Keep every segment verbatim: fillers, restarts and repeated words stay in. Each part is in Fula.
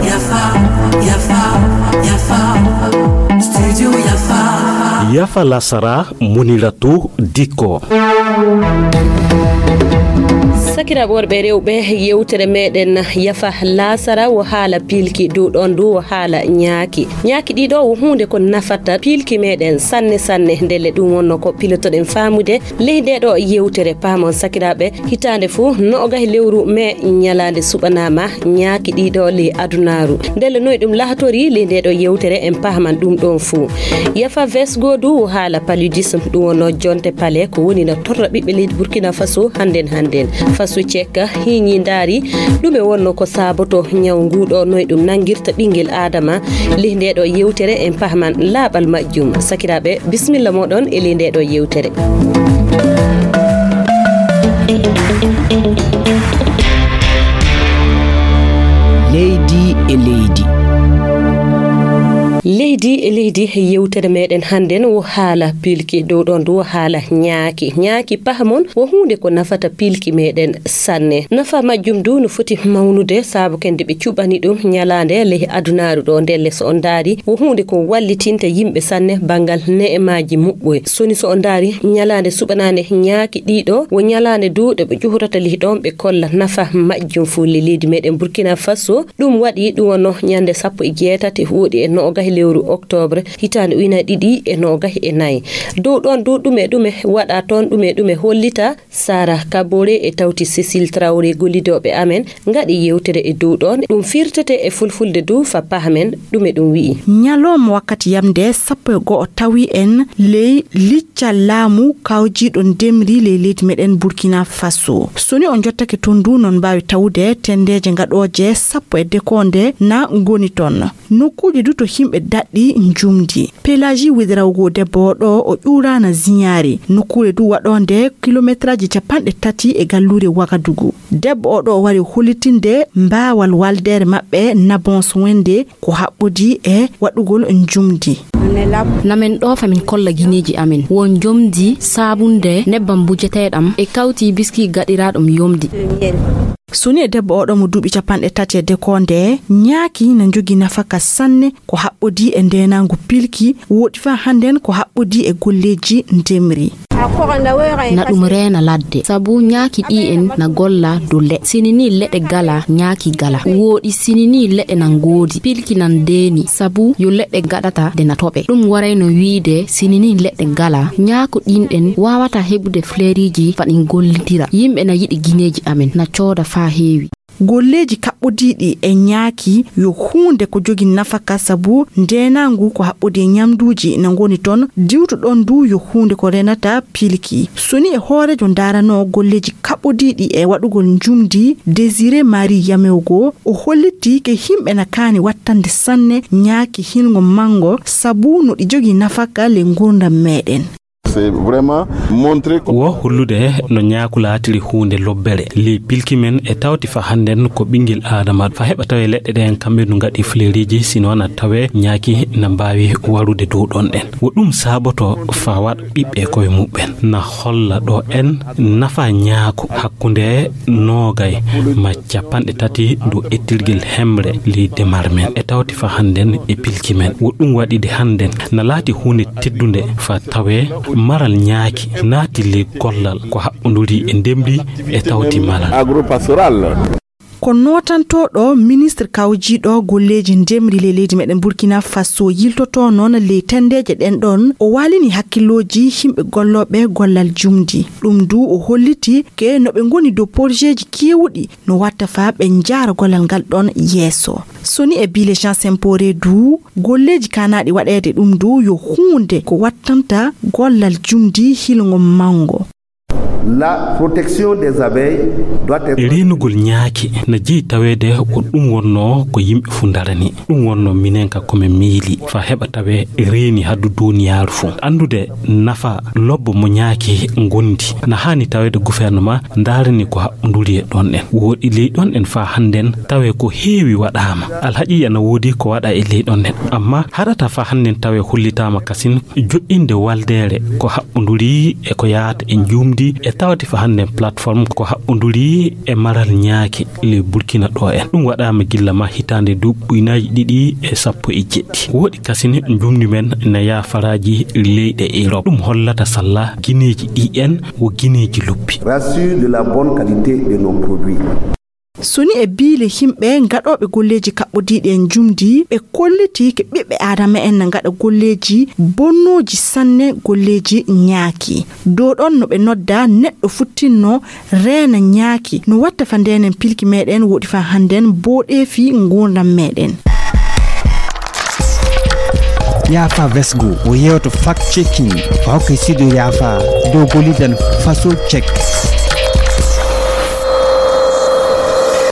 Yafa, yafa, yafa. Studio Yafa. Yafa Lasara, Muniratu Dikko. Sakiraaɓe worɓe e rewɓe, yewtere meɗen Yafa Lasara wo haala pilki, dow ɗon du wo haala ñaaki. Ñaaki ɗiɗo wo huunde ko nafata pilki meɗen sanne sanne. Ndelle ɗum wonno ko pilotoɗen faamude ley nde ɗo yewtere. Paamon sakiraaɓe, hitaande fuu noogay lewru mee ñalaande suɓanaama ñaaki ɗiɗo ley adunaaru. Ndelle noy ɗum lahatori ley nde ɗo yewtere, en paaman ɗum ɗon fuu. Yafa Vesgo du wo haala paludisme, ɗum wonno jonte pale ko woni na torra ɓiɓɓe leydi Burkina Faso hannden hannden. Faso cekka hiñi ndaari ɗume wonno ko saaboto ñaw nguɗo, noy ɗum nangirta ɓinngel Aadama. Ley nde ɗo yewtere en pahman laaɓal majjum. Sakiraaɓe, bisimilla moɗon e ley nde ɗo yewtere. Leydi e leydi. Leydi e leydi, yewtere meɗen hannden wo haala pilki, dow ɗon du wo haala ñaaki. Ñaaki, pahamon, wo huunde ko nafata pilki meɗen sanne. Nafa majjum du no foti mawnude, saabu kende ɓe cuɓani ɗum ñalaande ley adunaaru ɗo. Ndelle so on ndaari, wo huunde ko wallitinta yimɓe sanne banngal ne'emaaji muɓɓoy. Soni so on ndaari, ñalaande suɓanaande ñaaki ɗiɗo, wo ñalaande du ɗe ɓe ƴuhurata ley ɗon, ɓe kolla nafa majjum fuu ley leydi meɗen Burkina Faso. Ɗum waɗi ɗum wonno ñande sappo e jeetati woɗi e noogay lewru octobre, hitaande ujunaaji ɗiɗi e noogay e nayi. Dow ɗon du ɗume ɗume waɗa toon, ɗume ɗume hollita, Sara Kabore e tawti Cécile Traoré, gollidooɓe amen ngaɗi yewtere e dow ɗon. Ɗum firtete e fulfulde du fa pahmen ɗume ɗum wi'i. Ñalawma wakkati yamde sappo e go'o tawi en ley liccal laamu kawjiiɗo ndemri ley leydi meɗen Burkina Faso. So ni on jottake toon du, non mbaawi tawude tendeeje ngaɗooje sappo e dekonde na ngoni toon. Nokkuuji du to yimɓe daɗɗi njumdi. Pelagie Ouédraogo, debbo o ɗo, o ƴuuraana Ziñaari, nokkuure du waɗoonde kilometraaji capanɗe tati e galluure Wagadugu. Debbo o ɗo o wari hollitinde mbaawal waldeere maɓɓe Nabon Wende ko haɓɓodi e waɗugol njumdi. Na men ɗo fa min kolla gineeji amen. Wo njomdi saabunde nebbam bujeteeɗam e kawti biski gaɗiraaɗum yomdi. Soni e debbo oɗo mo duuɓi capanɗe tati e dekonde, ñaaki na njogi nafaka sanne ko haɓɓodi e ndeenaangu pilki, woɗi faa hannden ko haɓɓodi e golleeji ndemri. Na ɗum reena ladde, sabu ñaaki ɗi en na golla dow leɗɗe. Sini ni leɗɗe gala, ñaaki gala. Woɗi sini ni leɗɗe na ngoodi, pilki nan deeni, sabu yo leɗɗe gaɗata de na toɓe. Ɗum warayno wiide sini ni leɗɗe gala, ñaako ɗin ɗen waawata heɓude fleriiji fa ɗin gollitira. Yimɓe na yiɗi gineeji amen, na cooda faa heewi. Golleeji kaɓɓodiiɗi e ñaaki yo huunde ko jogi nafaka, sabu ndeenaangu ko haɓɓodi e ñamduuji na ngoni toon, diwtu ɗon du yo huunde ko renata pilki. Soni e hooreejo ndaranoo golleeji kaɓɓodiiɗi e waɗugol njumdi, Désiré Marie Yamewgo, o hollitii ke yimɓe na kaani wattande sanne ñaaki hilngo manngo, sabu no ɗi jogi nafaka le ngurdam meɗen. C'est vraiment montrer ko wo hollude no ñaaku laatiri huunde lobbere ley pilki men e tawti fa hannden ko ɓinngel Aadama. Fa heɓa tawe leɗɗe ɗen kamɓe no ngaɗi fleriiji, sino na tawe ñaaki na mbaawi warude dow ɗon ɗen. Wo ɗum saaboto fa waɗa ɓiɓɓe koye muɓɓen. Na holla ɗo en nafa ñaaku hakkunde noogay ma capanɗe tati dow ettirgel hemre ley demar men e tawti fa hannden e pilki men. Wo ɗum waɗi de hannden na laati huunde teddunde fa tawe maral ñaaki naati ley gollal ko haɓɓunduri e ndemri e tawti malal. Agro-pastoral. Ko nootantooɗo ministre kawjiiɗo golleeji ndemri ley leydi meɗen Burkina Faso yiltotoo noon ley tendeeje ɗen ɗon, o waalini hakkillooji yimɓe gollooɓe gollal jumdi. Ɗum du o holliti ke no ɓe ngoni dow porjeeji keewuɗi no watta faa ɓe njaara gollal ngal ɗon yeeso. Soni e Bile Jean Sempore du, golleeji kaanaaɗi waɗeede ɗum du yo huunde ko wattanta gollal jumdi hilngo manngo. La protection des abeilles doit être reenugol ñaaki na jeyi taweede ko ɗum wonnoo ko yimɓe fuu ndarani. Ɗum wonnoo minen ka ko min miili fa heɓa tawee reeni haddu duuniyaaru fuu. Anndude nafa lobbo mo ñaaki ngondi na haani taweede gouvernement ndaarani ko haɓɓunduri e ɗon ɗen. Woɗi ley ɗon ɗen faa hannden tawee ko heewi waɗaama. Alhaqiiqa na woodi ko waɗa e ley ɗon ɗen. Amma haɗata faa hannden tawee hollitaama kasin joɗɗinde waldeere ko haɓɓunduri e ko yaata e njuumdi e Tawde fa hannde plateforme ko haɓɓonduri e maral ñaaki le Burkina ɗo en. Ɗum waɗaama gilla ma hitaande duuɓi ujunaaji ɗiɗi e sappo e jeɗɗi. Woɗi kasine njumndi men na yaafaraaji leyɗe Europe. Ɗum hollata salla gineeji ɗi en wo gineeji luppi. Rassure de la bonne qualité de nos produits. So ni e biile yimɓe gaɗooɓe golleeji kaɓɓodiiɗi e njumndi, ɓe kolliti ke ɓiɓɓe aadama en na gaɗa golleeji bonnooji sanne, golleeji ñaaki. Dow ɗon no ɓe nodda neɗɗo futtinno reena ñaaki. No watta fa ndenen pilki meɗen woɗi fa hannden booɗeefi nguurndam meɗen. Yaafa Vesgo o yewto fact checking o hokka sido yaafa dow gollidan faso check.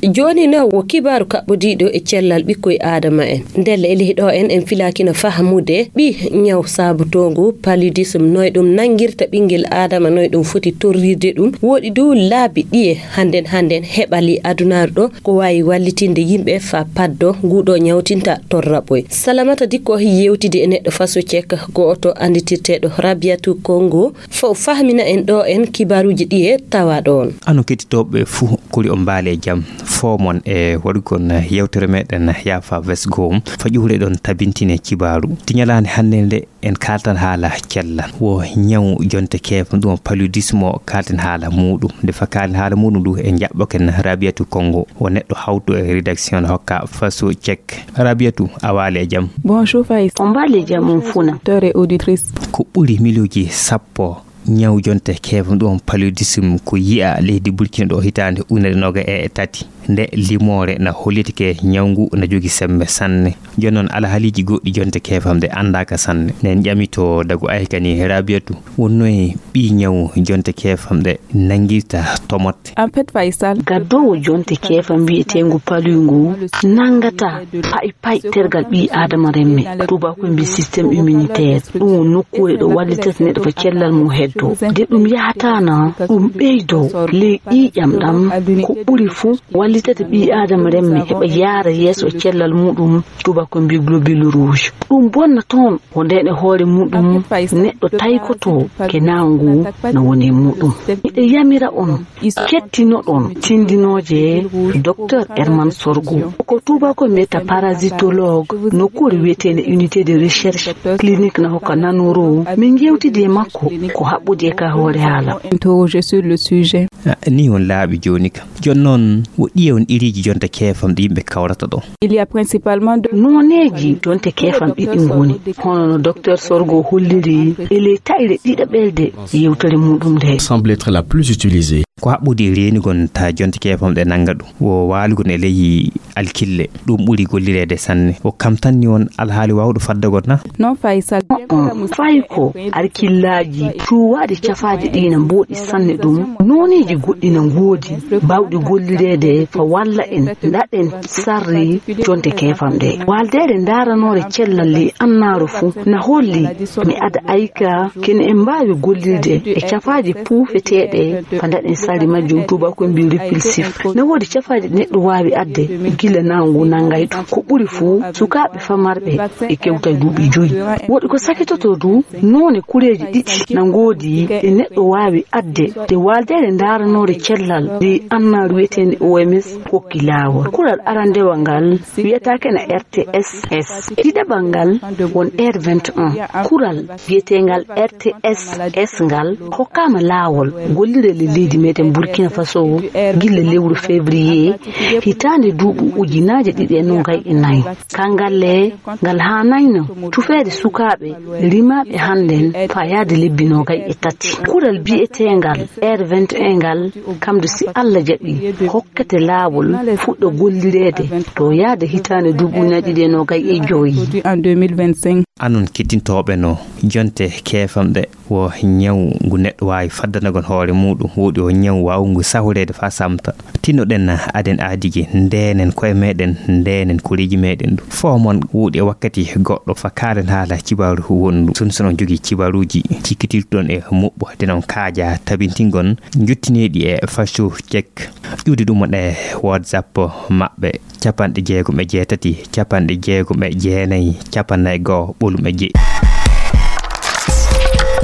Jooni noon wo kibaaru kaɓɓodiiɗo e cellal ɓikkoy aadama en. Ndelle e lehi ɗo en, en filaakino fahamude ɓi ñaw saabutoongu paludisme, noy ɗum nanngirta ɓinngel aadama, noy ɗum foti torrirde ɗum. Woɗi du laabi ɗiye hannden hannden heɓali adunaaru ɗo ko waawi wallitinde yimɓe fa paddo nguɗo ñawtinta torraɓoy. Salamata Dikko yewtidi e neɗɗo faso cek go'oto annditirteeɗo Rabiatu Kongo, fo fahmina en ɗo en kibaaruuji ɗiye tawa ɗoon. Ano kettitooɓe fuu kuli on mbaali e jam. Fo mon e waɗugol yewtere meɗen yaafa vesgo fa ƴuwre ɗon tabintine kibaaru. Ti ñalaande hannde nde en kaaltan haala cellal. Wo ñaw jonte keefam ɗum paludisme o kaalten haala muɗum. Nde fa kaalen haala muɗum ɗum en jaɓɓoken Rabiatu Kongo. Wo neɗɗo hawtu e rédaction hokka faso check. Rabiatu, a waali e jam? Bonjour Faisal. On mbaali e jam on funa. Auditeur et auditrice. Ko ɓuri miliyoji sappo ñaw jonte keefam ɗum paludisme ko yi'a leydi Burkina ɗo hitaande ujunere noga e tati. Nde limoore na hollitike ñaw ngu na jogi sembe sanne. Jooni noon alhaaliji goɗɗi jonte keefam ɗe anndaka sanne. Nen ƴamito dagu aykani Rabiatu wonno e ɓi ñaw jonte keefam ɗe nanngirta tomotte. En fait, Faisal. Gaddoowo jonte keefam mbiyeteengu palu ngu nanngata pay pay tergal ɓi aadama remme. Tubaako mbi système immunitaire. Ɗum woni nokkuure ɗo wallitata neɗɗo ko cellal mum heddo. De ɗum yahata na ɗum ɓeydo ley ƴiiƴam ɗam ko ɓuri fuu wallitata ɓi aadama remme heɓa yaara yeeso e cellal muɗum. Tubaako mbi globule rouge. Ɗum bonna toon ko nden e hoore muɗum neɗɗo taykoto ke naangu no woni e muɗum. Miɗo yamira on kettinoɗon tindinooje Docteur Herman Sorgo. Ko tubaako mbiyata parasitologue nokkuure wiyeteende unité de recherche clinique na hokka nanoro. Min ngewtidi e makko ko haɓɓodi e ka hoore haala. Interrogé sur le sujet. Ah, ni on laaɓi jooni ka. Jooni noon, wo ɗiye on iriji jonte keefam ɗi yimɓe kawrata ɗo? Il y a principalement deux. Nooneeji jonte keefam ɗiɗi ngoni. Hono no Docteur Sorgo holliri e ley taƴre ɗiɗaɓerde yewtere muɗum nde. Semble être la plus utilisée. Ko haɓɓodi e reenugol ta jonte keefam ɗe nannga ɗum. Wo waalugol e ley alkille. Ɗum ɓuri gollireede sanne. Wo kam tan ni on alhaali waawɗo faddagol na? Non, Faisal. On, fay ko alkillaaji cuwaaɗi cafaaji ɗi na mbooɗi sanne ɗum. Nooneeji goɗɗi na ngoodi baawɗi gollireede fa walla en ndaɗen sarri jonte keefam ɗe. Waaldeere ndaaranoore cellal ley annaaru fuu na holli mi ada ayka kene en mbaawi gollirde e cafaaji puufeteeɗe fa ndaɗen sarri majjum tubaako mbi repulsif. Na woodi cafaaji neɗɗo waawi adde gila naangu nanngay ɗum. Ko ɓuri fuu sukaaɓe famarɓe e kewta duuɓi joyi. Woɗi ko sakitoto du noone kureeji ɗiɗi na ngoodi ɗe neɗɗo waawi adde de waaldeere ndaaranoore cellal ley annaaru wiyeteende O M S kokki laawol. Kural arandewal ngal wiyata kena R T S S. Ɗiɗaɓal ngal won R vingt et un. Kural wiyeteengal R T S S ngal hokkaama laawol gollirde leydi meɗen Burkina Faso gilla lewru février hitaande duuɓi ujunaaji ɗiɗi e noogay e nayi. Kangal le ngal haanayno tufeede sukaaɓe rimaaɓe hannden fayaade lebbi noogay e tati. Kural biyeteengal R vingt et un ngal kam du si Allah jaɓi hokkete laawol fuɗɗa gollireede to yaade hitaande duuɓi ujunaaji ɗiɗi e noogay e joyi. En deux mille vingt-cinq. Anon kettintooɓe no jonte keefam ɗe wo ñaw ngu neɗɗo waawi faddanagol hoore muɗum woɗi o ñaw waawngu sahreede fa samta. Tinnoɗen aden aadiji ndenen koye meɗen ndenen koreeji meɗen ɗum. Fof mon woɗi e wakkati goɗɗo fa kaalen haala cibaaru wondu. Sun sono jogii cibaaruuji cikkitirɗon e muɓɓo denon kaaja tabintingon jottineeɗi e faso cek. Ƴuwdi ɗum e WhatsApp maɓɓe capanɗe jeegom e jeetati capanɗe jeegom e jeenayi capanɗe goo ɓolum e jeɗɗi.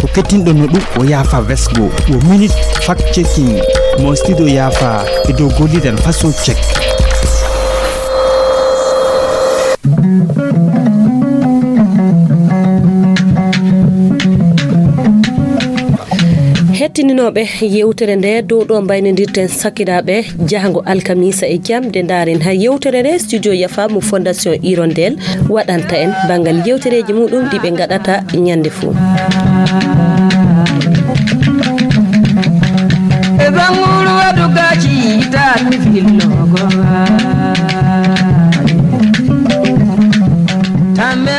Ko kettinɗon no ɗum o yaafa vesgo o minute fact checking mo studio yaafa e dow gollidan façon check. Hettininooɓe yewtere nde dow ɗo mbaynodirten sakiraaɓe jahango alkamisa e jam nde ndaaren ha yewtere nde studio yafa mo fondation hirondel waɗanta en banngal yewtereeji muɗum ɗi ɓe ngaɗata ñande fuu. E banguru wadu gaci ita mi fillo go. Tamme